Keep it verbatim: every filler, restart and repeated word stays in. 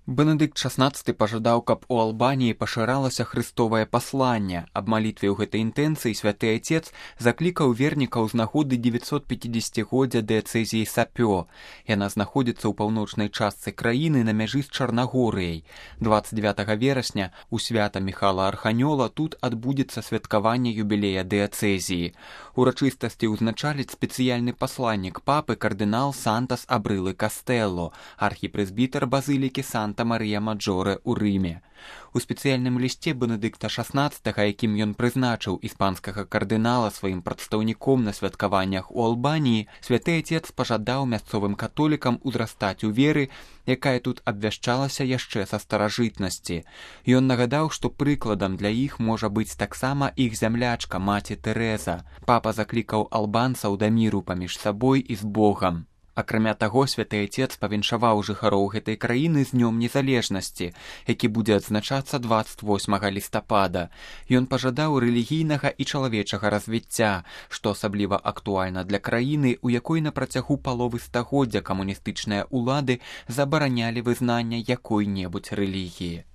Бенедыкт шаснаццаты пажадаў, каб у Албаніі пашыралася хрыстовае пасланне. Аб малітве ў гэтай інтэнцыі святы айцец заклікаў вернікаў з нагоды дзевяцьсот пяцідзесяцігоддзя дыяцэзіі Сапё. Яна знаходзіцца ў паўночнай частцы краіны на мяжы з Чарнагорыяй. дваццаць дзевятага верасня у свята Міхала Арханёла тут адбудзецца святкаванне юбілея дыяцэзіі. Урачыстасці ўзначаліць спецыяльны пасланнік папы кардынал Сантас Абрылы Кастэлло, архіпрэзбітар базылікі Санта-Марыя-Маджоре ў Рыме. У спецыяльным лісце Бенедыкта шаснаццатага, якім ён прызначыў іспанскага кардынала сваім прадстаўніком на святкаваннях у Албаніі, святы айцец пажадаў мясцовым католікам узрастаць у веры, якая тут абвяшчалася яшчэ са старажытнасці. Ён нагадаў, што прыкладам для іх можа быць таксама іх зямлячка маці Тэрэза. Папа заклікаў албанцаў да міру паміж сабой і з Богам. Акрамя таго, святы айцец павіншаваў жыхароў гэтай краіны з днём незалежнасці, які будзе адзначацца дваццаць восьмага лістапада. Ён пажадаў рэлігійнага і чалавечага развіцця, што асабліва актуальна для краіны, у якой на працягу паловы стагоддзя камуністычныя ўлады забаранялі вызнанне якой-небудзь рэлігіі.